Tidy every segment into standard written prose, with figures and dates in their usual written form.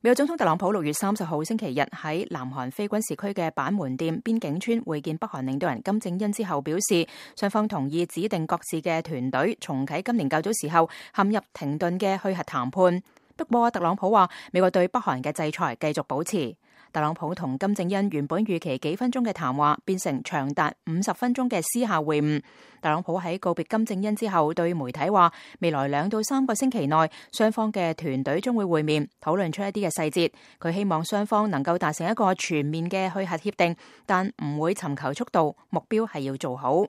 美國總統特朗普6月30號星期日喺南韓非軍事區嘅板門店邊境村會見北韓領導人金正恩之後表示，雙方同意指定各自嘅團隊重啟今年較早時候陷入停頓嘅去核談判。不過特朗普話美國對北韓嘅制裁繼續保持。特朗普同金正恩原本預期幾分鐘嘅談話變成長達50分鐘嘅私下會晤。特朗普喺告別金正恩之後對媒體話，未來2到3個星期內雙方嘅團隊將會會面，討論出一啲嘅細節。佢希望雙方能夠達成一個全面嘅去核協定，但唔會尋求速度，目標係要做好。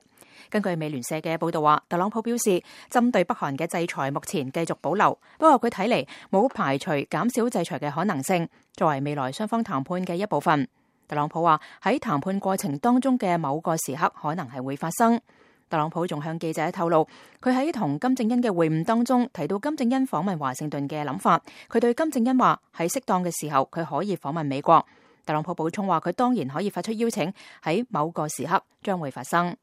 根據美聯社嘅報道話，特朗普表示針對北韓嘅制裁目前繼續保留，不過佢睇嚟冇排除減少制裁嘅可能性，作為未來雙方談判嘅一部分。特朗普話喺談判過程當中嘅某個時刻可能係會發生。特朗普仲向記者透露，佢喺同金正恩嘅會晤當中提到金正恩訪問華盛頓嘅諗法。佢對金正恩話喺適當嘅時候佢可以訪問美國。特朗普補充話佢當然可以發出邀請，喺某個時刻將會發生。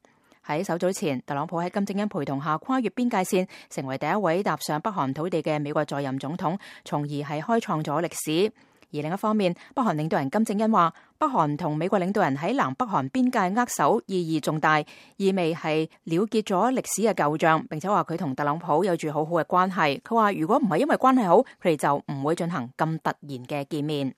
喺稍早前，特朗普喺金正恩陪同下跨越邊界線，成為第一位踏上北韓土地嘅美國在任總統，從而係開創咗歷史。而另一方面，北韓領導人金正恩話，北韓同美國領導人喺南北韓邊界握手意義重大，意味係了結咗歷史嘅舊賬，並且話佢同特朗普有住好好嘅關係。佢話如果唔係因為關係好，佢哋就唔會進行咁突然嘅見面。